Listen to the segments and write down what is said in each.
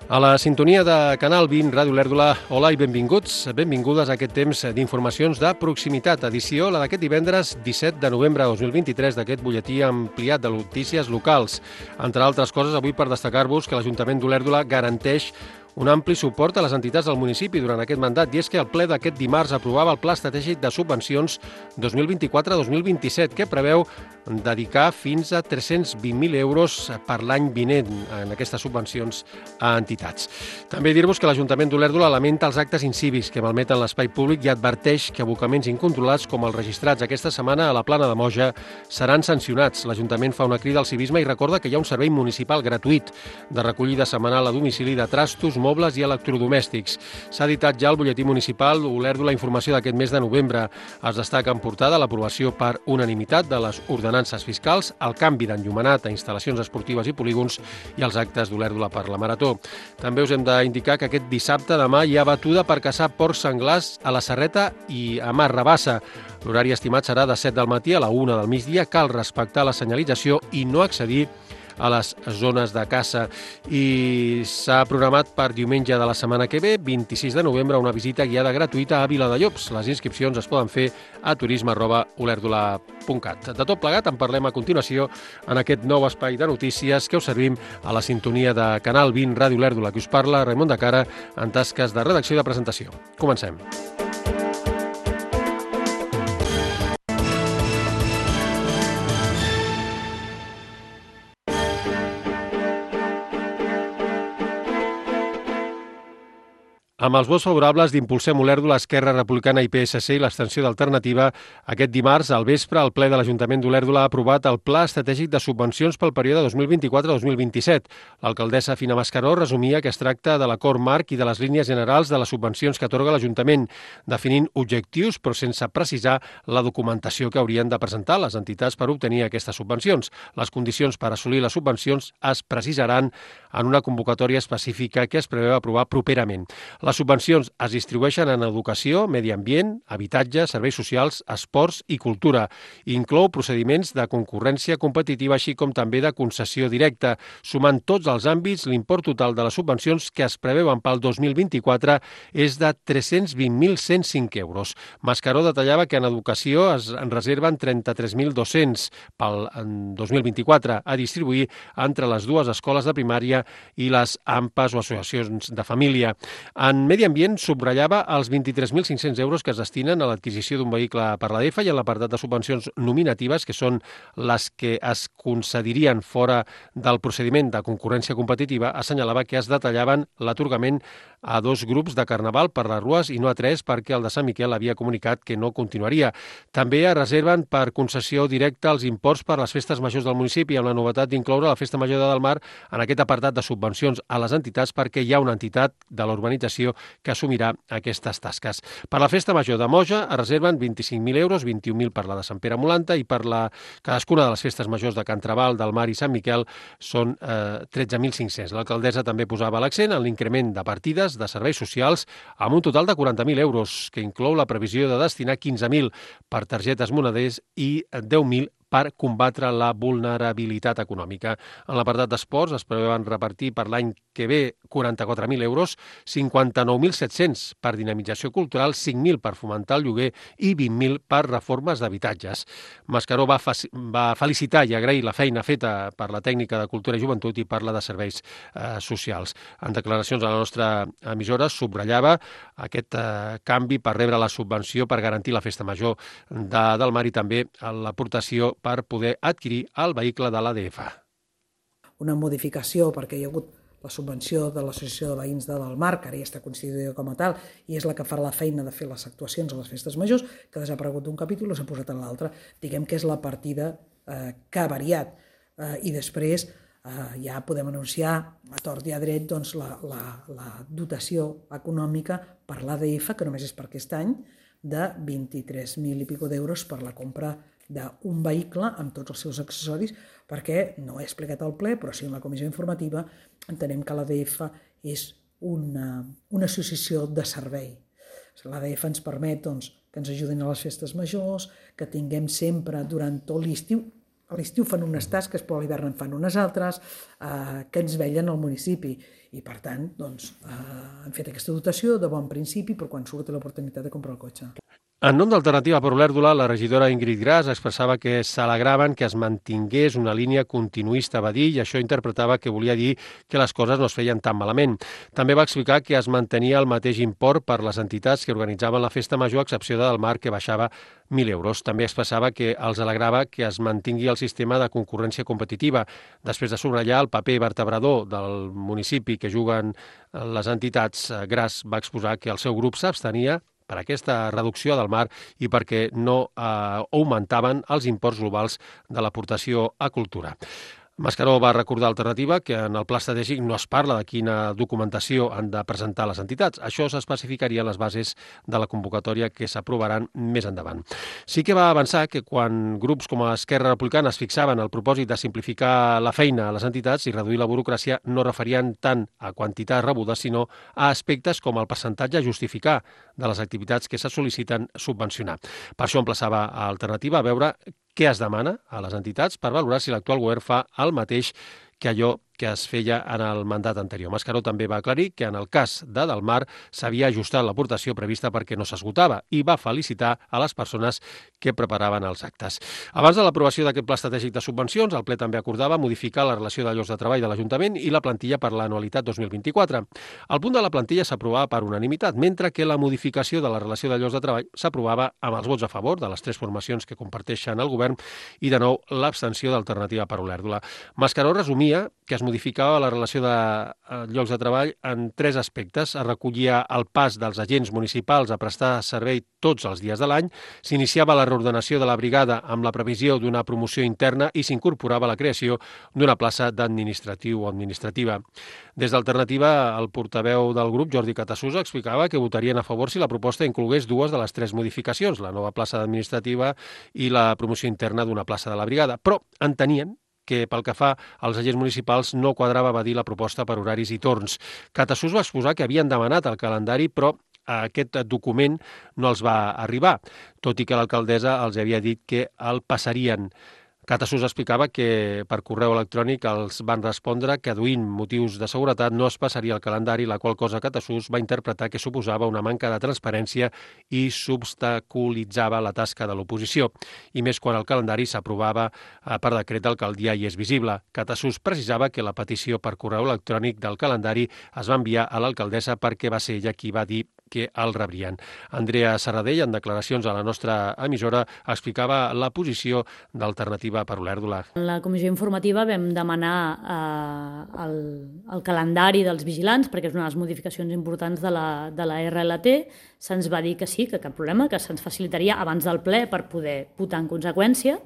A la sintonia de Canal 20, Ràdio Olèrdola, hola i benvinguts, benvingudes a aquest temps d'informacions de proximitat, edició la d'aquest divendres 17 de novembre de 2023 d'aquest butlletí ampliat de notícies locals. Entre altres coses, avui per destacar-vos que l'Ajuntament d'Olèrdola garanteix un ampli suport a les entitats del municipi durant aquest mandat, i és que el ple d'aquest dimarts aprovava el Pla Estratègic de Subvencions 2024-2027, que preveu dedicar fins a 320.000 euros per l'any vinent en aquestes subvencions a entitats. També dir-vos que l'Ajuntament d'Olèrdola lamenta els actes incívics que malmeten l'espai públic i adverteix que abocaments incontrolats com els registrats aquesta setmana a la Plana de Moja seran sancionats. L'Ajuntament fa una crida al civisme i recorda que hi ha un servei municipal gratuït de recollida setmanal a domicili de trastos, mobles i electrodomèstics. S'ha editat ja el butlletí municipal Olèrdola Informació d'aquest mes de novembre. Es destaca en portada l'aprovació per unanimitat de les ordenances fiscals, el canvi d'enllumenat a instal·lacions esportives i polígons i els actes d'Olèrdola per la Marató. També us hem d'indicar que aquest dissabte demà hi ha batuda per caçar porcs senglars a la Serreta i a Mas Rabassa. L'horari estimat serà de 7 del matí a la 1 del migdia. Cal respectar la senyalització i no accedir a les zones de caça. I s'ha programat per diumenge de la setmana que ve, 26 de novembre, una visita guiada gratuïta a Viladellops. Les inscripcions es poden fer a turisme@olèrdola.cat. De tot plegat en parlem a continuació en aquest nou espai de notícies que us servim a la sintonia de Canal 20, Ràdio Olèrdola, que us parla Raimon de Cara en tasques de redacció i de presentació. Comencem. Amb els vots favorables d'Impulsem Olèrdola, Esquerra Republicana i PSC i l'abstenció d'Alternativa, aquest dimarts, al vespre, el ple de l'Ajuntament d'Olèrdola ha aprovat el Pla Estratègic de Subvencions pel període 2024-2027. L'alcaldessa Fina Mascaró resumia que es tracta de l'acord marc i de les línies generals de les subvencions que atorga l'Ajuntament, definint objectius però sense precisar la documentació que haurien de presentar les entitats per obtenir aquestes subvencions. Les condicions per assolir les subvencions es precisaran en una convocatòria específica que es preveu aprovar properament. Les subvencions es distribueixen en educació, medi ambient, habitatge, serveis socials, esports i cultura. Inclou procediments de concurrència competitiva, així com també de concessió directa. Sumant tots els àmbits, l'import total de les subvencions que es preveuen pel 2024 és de 320.105 euros. Mascaró detallava que en educació es reserven 33.200 pel 2024 a distribuir entre les dues escoles de primària i les AMPAs o associacions de família. En medi ambient subratllava els 23.500 euros que es destinen a l'adquisició d'un vehicle per l'ADF i en l'apartat de subvencions nominatives, que són les que es concedirien fora del procediment de concurrència competitiva, assenyalava que es detallaven l'atorgament a 2 grups de carnaval per les rues i no a 3 perquè el de Sant Miquel havia comunicat que no continuaria. També es reserven per concessió directa els imports per les festes majors del municipi, amb la novetat d'incloure la Festa Major de Delmar en aquest apartat de subvencions a les entitats perquè hi ha una entitat de l'urbanització que assumirà aquestes tasques. Per la Festa Major de Moja es reserven 25.000 euros, 21.000 per la de Sant Pere Molanta i per cadascuna de les festes majors de Can Trabal, del Mar i Sant Miquel són 13.500. L'alcaldessa també posava l'accent en l'increment de partides de serveis socials amb un total de 40.000 euros, que inclou la previsió de destinar 15.000 per targetes moneders i 10.000 per combatre la vulnerabilitat econòmica. En l'apartat d'esports es preveuen repartir per l'any que ve 44.000 euros, 59.700 per dinamització cultural, 5.000 per fomentar el lloguer i 20.000 per reformes d'habitatges. Mascaró va felicitar i agrair la feina feta per la tècnica de Cultura i Joventut i per la de Serveis Socials. En declaracions a la nostra emissora subratllava aquest canvi per rebre la subvenció per garantir la Festa Major del Mar i també l'aportació per poder adquirir el vehicle de l'ADF. Una modificació perquè hi ha hagut la subvenció de l'Associació de Veïns de Delmar, que ara ja està constituïda com a tal, i és la que fa la feina de fer les actuacions a les festes majors, que ha desaparegut d'un capítol i s'ha posat en l'altre. Diguem que és la partida que ha variat. I després ja podem anunciar a tort i a dret doncs, la dotació econòmica per l'ADF, que només és per aquest any, de 23.000 i pico d'euros per la compra d'un vehicle amb tots els seus accessoris, perquè no he explicat al ple, però sí en la comissió informativa entenem que l'ADF és una associació de servei. L'ADF ens permet que ens ajudin a les festes majors, que tinguem sempre durant tot l'estiu a l'estiu fan unes tasques, però a l'hivern en fan unes altres, que ens vetllen al municipi. I, per tant, doncs, han fet aquesta dotació de bon principi per quan surt l'oportunitat de comprar el cotxe. En nom d'Alternativa per Olèrdola, la regidora Ingrid Gras expressava que s'alegraven que es mantingués una línia continuista, va dir, i això interpretava que volia dir que les coses no es feien tan malament. També va explicar que es mantenia el mateix import per les entitats que organitzaven la festa major, a excepció del Mar, que baixava 1.000 euros. També expressava que els alegrava que es mantingui el sistema de concurrència competitiva, després de subratllar el paper vertebrador del municipi que juguen les entitats. Gras va exposar que el seu grup s'abstenia per aquesta reducció del Mar i perquè no augmentaven els imports globals de l'aportació a cultura. Mascaró va recordar Alternativa que en el pla estratègic no es parla de quina documentació han de presentar les entitats. Això s'especificaria en les bases de la convocatòria que s'aprovaran més endavant. Sí que va avançar que quan grups com Esquerra Republicana es fixaven el propòsit de simplificar la feina a les entitats i reduir la burocràcia, no referien tant a quantitats rebudes, sinó a aspectes com el percentatge a justificar de les activitats que se sol·liciten subvencionar. Per això emplaçava a Alternativa a veure què es demana a les entitats per valorar si l'actual govern fa el mateix que allò que es feia en el mandat anterior. Mascaró també va aclarir que en el cas de Del Mar s'havia ajustat l'aportació prevista perquè no s'esgotava i va felicitar a les persones que preparaven els actes. Abans de l'aprovació d'aquest pla estratègic de subvencions, el ple també acordava modificar la relació de llocs de treball de l'Ajuntament i la plantilla per l'anualitat 2024. El punt de la plantilla s'aprovava per unanimitat, mentre que la modificació de la relació de llocs de treball s'aprovava amb els vots a favor de les tres formacions que comparteixen el govern i, de nou, l'abstenció d'Alternativa per Olèrdola. Mascaró resumia que es modificava la relació de llocs de treball en tres aspectes. Es recollia el pas dels agents municipals a prestar servei tots els dies de l'any, s'iniciava la reordenació de la brigada amb la previsió d'una promoció interna i s'incorporava la creació d'una plaça d'administratiu o administrativa. Des d'Alternativa, el portaveu del grup, Jordi Catasús, explicava que votarien a favor si la proposta inclogués dues de les tres modificacions, la nova plaça administrativa i la promoció interna d'una plaça de la brigada, però entenien que pel que fa als agents municipals no quadrava, va dir, la proposta per horaris i torns. Catasús va exposar que havien demanat el calendari, però aquest document no els va arribar, tot i que l'alcaldessa els havia dit que el passarien. Catasús explicava que per correu electrònic els van respondre que, aduint motius de seguretat, no es passaria el calendari, la qual cosa Catasús va interpretar que suposava una manca de transparència i s'obstaculitzava la tasca de l'oposició, i més quan el calendari s'aprovava per decret d'alcaldia i és visible. Catasús precisava que la petició per correu electrònic del calendari es va enviar a l'alcaldessa perquè va ser ella qui va dir que el rebrien. Andrea Serradell, en declaracions a la nostra emissora, explicava la posició d'Alternativa per Olèrdola. En la comissió informativa vam demanar el calendari dels vigilants, perquè és una de les modificacions importants de la RLT. Se'ns va dir que sí, que cap problema, que se'ns facilitaria abans del ple per poder votar en conseqüència.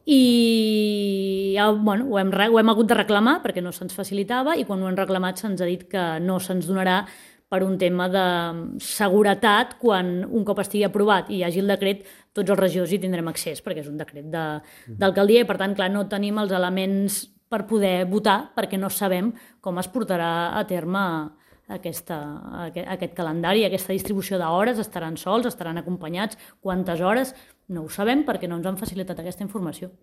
I bueno, ho hem hagut de reclamar perquè no se'ns facilitava, i quan ho hem reclamat se'ns ha dit que no se'ns donarà per un tema de seguretat. Quan un cop estigui aprovat i hi hagi el decret, tots els regidors hi tindrem accés, perquè és un decret d'alcaldia i, per tant, clar, no tenim els elements per poder votar perquè no sabem com es portarà a terme aquest calendari, aquesta distribució d'hores. Estaran sols, estaran acompanyats, quantes hores, no ho sabem perquè no ens han facilitat aquesta informació.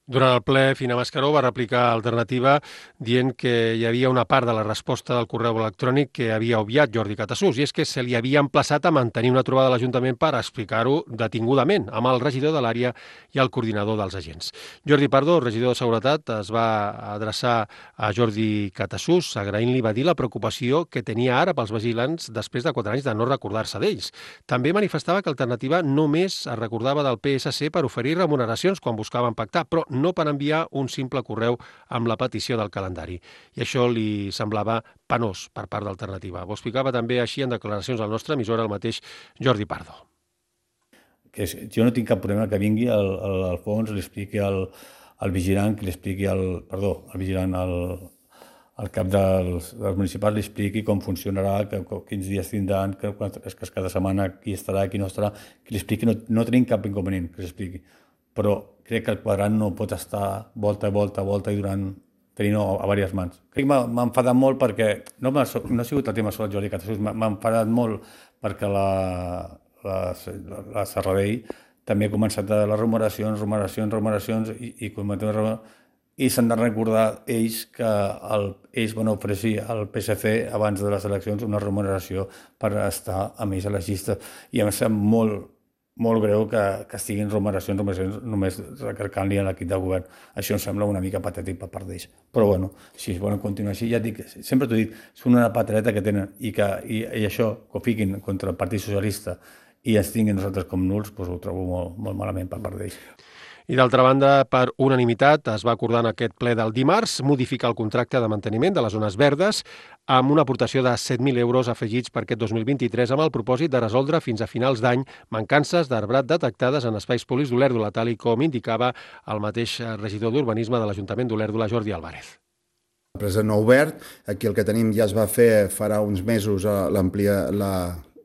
Durant el ple, Fina Mascaró va replicar Alternativa dient que hi havia una part de la resposta del correu electrònic que havia obviat Jordi Catasús, i és que se li havia emplaçat a mantenir una trobada a l'Ajuntament per explicar-ho detingudament amb el regidor de l'àrea i el coordinador dels agents. Jordi Pardo, regidor de Seguretat, es va adreçar a Jordi Catasús, agraint-li, va dir, la preocupació que tenia ara pels vigilants després de 4 anys de no recordar-se d'ells. També manifestava que Alternativa només es recordava del PSC per oferir remuneracions quan buscaven pactar, però no per enviar un simple correu amb la petició del calendari. I això li semblava penós per part d'Alternativa. Ho explicava també així en declaracions al nostre emissora el mateix Jordi Pardo. Jo no tinc cap problema que vingui al Alfons, li expliqui al vigilant, que li expliqui al cap dels municipals, li expliqui com funcionarà, quins dies tindran, que cada setmana qui estarà, qui no estarà, que li expliqui. No tenim cap inconvenient que l'expliqui. Però crec que el quadrant no pot estar volta i tenint-ho a diverses mans. Crec que m'ha enfadat molt perquè no ha sigut el tema sobre el Jordi Catasús, m'ha enfadat molt perquè la Serradell també ha començat a les remuneracions i s'han de recordar ells que ells van oferir al PSC abans de les eleccions una remuneració per estar amb ells a les llistes, i em sembla molt greu que estiguin remuneracions només recarcant-li a l'equip de govern. Això em sembla una mica patètic per part d'ells. Però bueno, si es volen continuar així, ja dic, sempre t'ho dic, són una patreta que tenen, i això, que ho fiquin contra el Partit Socialista i ens tinguin nosaltres com nuls, doncs ho trobo molt malament per part d'ells. I d'altra banda, per unanimitat, es va acordar en aquest ple del dimarts modificar el contracte de manteniment de les zones verdes amb una aportació de 7.000 euros afegits per aquest 2023 amb el propòsit de resoldre fins a finals d'any mancances d'arbrat detectades en espais públics d'Olèrdola, tal com indicava el mateix regidor d'Urbanisme de l'Ajuntament d'Olèrdola, Jordi Álvarez. L'empresa no obert, aquí el que tenim ja es va fer farà uns mesos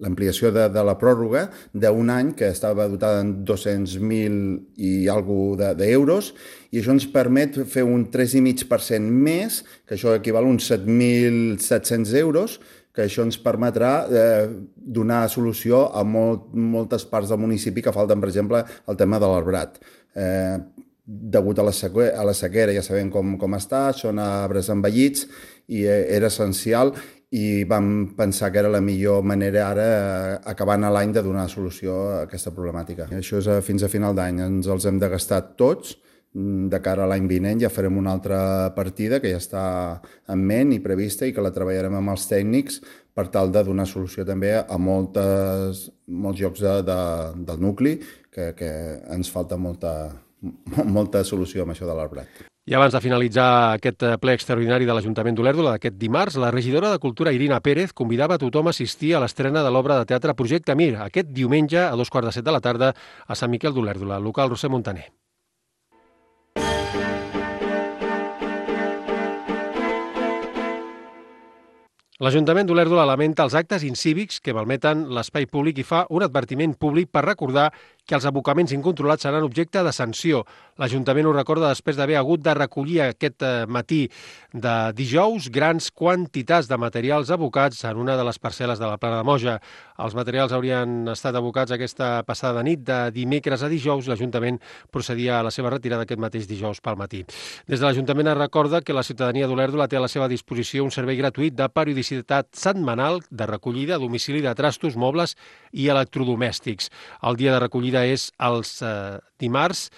l'ampliació de la pròrroga d'un any que estava dotada en 200.000 i alguna d'euros, i això ens permet fer un 3,5% més, que això equival a uns 7.700 euros, que això ens permetrà donar solució a moltes parts del municipi que falten, per exemple, el tema de l'arbrat. Degut a la sequera, ja sabem com està, són arbres envellits i era essencial, i vam pensar que era la millor manera ara, acabant l'any, de donar solució a aquesta problemàtica. Això és fins a final d'any, ens els hem de gastar tots. De cara a l'any vinent ja farem una altra partida que ja està en ment i prevista i que la treballarem amb els tècnics per tal de donar solució també a molts llocs del nucli que ens falta molta solució amb això de l'arbrat. I abans de finalitzar aquest ple extraordinari de l'Ajuntament d'Olèrdola d'aquest dimarts, la regidora de Cultura, Irina Pérez, convidava a tothom a assistir a l'estrena de l'obra de teatre Projecte Mir, aquest diumenge a 2:15 de la tarda a Sant Miquel d'Olèrdola, local Roser Montaner. L'Ajuntament d'Olèrdola lamenta els actes incívics que malmeten l'espai públic i fa un advertiment públic per recordar que els abocaments incontrolats seran objecte de sanció. L'Ajuntament ho recorda després d'haver hagut de recollir aquest matí de dijous grans quantitats de materials abocats en una de les parcel·les de la Plana de Moja. Els materials haurien estat abocats aquesta passada nit de dimecres a dijous. L'Ajuntament procedia a la seva retirada aquest mateix dijous pel matí. Des de l'Ajuntament es recorda que la ciutadania d'Olèrdola té a la seva disposició un servei gratuït de periodicitat setmanal de recollida a domicili de trastos, mobles i electrodomèstics. El dia de recollida és els dimarts,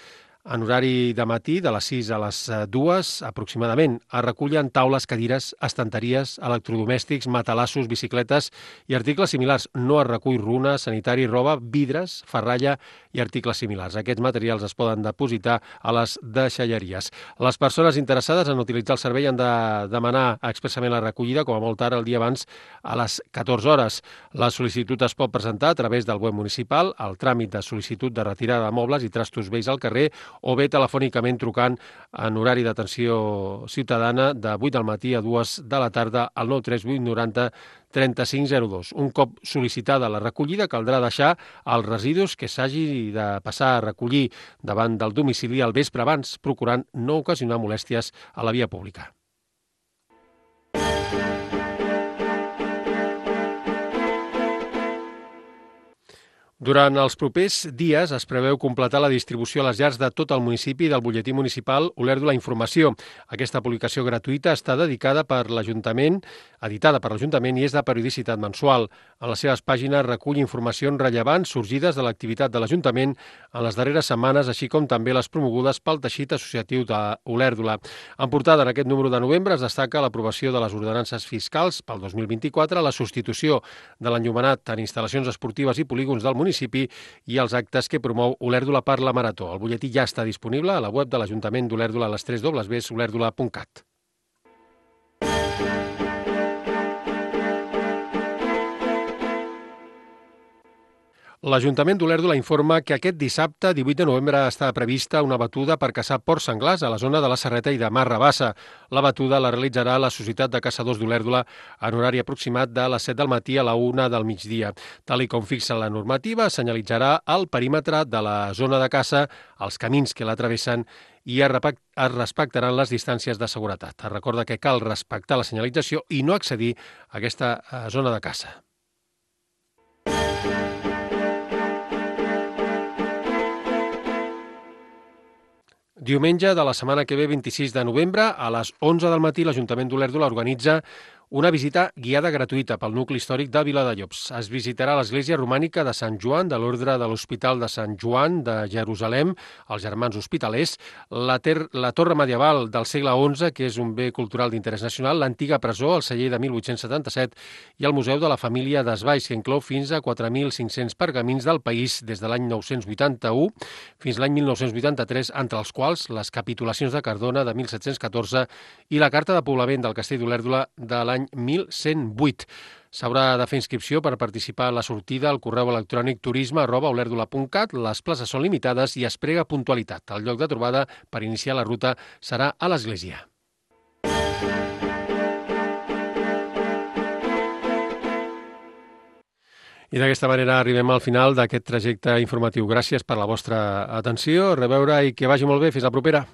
en horari de matí, de les 6 a les 2 aproximadament. Es recullen taules, cadires, estanteries, electrodomèstics, matalassos, bicicletes i articles similars. No es recull runa, sanitari, roba, vidres, ferralla i articles similars. Aquests materials es poden depositar a les deixalleries. Les persones interessades en utilitzar el servei han de demanar expressament la recollida, com a molt tard el dia abans, a les 14 hores. La sol·licitud es pot presentar a través del web municipal, el tràmit de sol·licitud de retirada de mobles i trastos vells al carrer, o bé telefònicament trucant en horari d'atenció ciutadana de 8 del matí a 2 de la tarda al 938 90 3502. Un cop sol·licitada la recollida, caldrà deixar els residus que s'hagi de passar a recollir davant del domicili al vespre abans, procurant no ocasionar molèsties a la via pública. Durant els propers dies es preveu completar la distribució a les llars de tot el municipi del butlletí municipal Olèrdola Informació. Aquesta publicació gratuïta està editada per l'Ajuntament i és de periodicitat mensual. En les seves pàgines recull informacions rellevants sorgides de l'activitat de l'Ajuntament en les darreres setmanes, així com també les promogudes pel teixit associatiu d'Olèrdola. En portada en aquest número de novembre es destaca l'aprovació de les ordenances fiscals pel 2024, la substitució de l'enllumenat en instal·lacions esportives i polígons del municipi i els actes que promou Olèrdola per la Marató. El butlletí ja està disponible a la web de l'Ajuntament d'Olèrdola a les 3 www.olèrdola.cat. L'Ajuntament d'Olèrdola informa que aquest dissabte, 18 de novembre, està prevista una batuda per caçar porcs senglars a la zona de la Serreta i de Mas Rabassa. La batuda la realitzarà la Societat de Caçadors d'Olèrdola en horari aproximat de les 7 del matí a la 1 del migdia. Tal com fixa la normativa, senyalitzarà el perímetre de la zona de caça, els camins que la travessen i es respectaran les distàncies de seguretat. Es recorda que cal respectar la senyalització i no accedir a aquesta zona de caça. Diumenge de la setmana que ve, 26 de novembre, a les 11 del matí, l'Ajuntament d'Olèrdola organitza una visita guiada gratuïta pel nucli històric de Viladellops. Es visitarà l'església romànica de Sant Joan, de l'Ordre de l'Hospital de Sant Joan de Jerusalem, els Germans Hospitalers, la torre medieval del segle XI, que és un bé cultural d'interès nacional, l'antiga presó, el celler de 1877, i el Museu de la Família d'Esvalls, que inclou fins a 4.500 pergamins del país des de l'any 981 fins l'any 1983, entre els quals les capitulacions de Cardona de 1714 i la carta de poblament del castell d'Olèrdola de l'any 1108. S'haurà de fer inscripció per participar a la sortida al correu electrònic turisme@olèrdola.cat. Les places són limitades i es prega puntualitat. El lloc de trobada per iniciar la ruta serà a l'església. I d'aquesta manera arribem al final d'aquest trajecte informatiu. Gràcies per la vostra atenció, a reveure i que vagi molt bé. Fins la propera.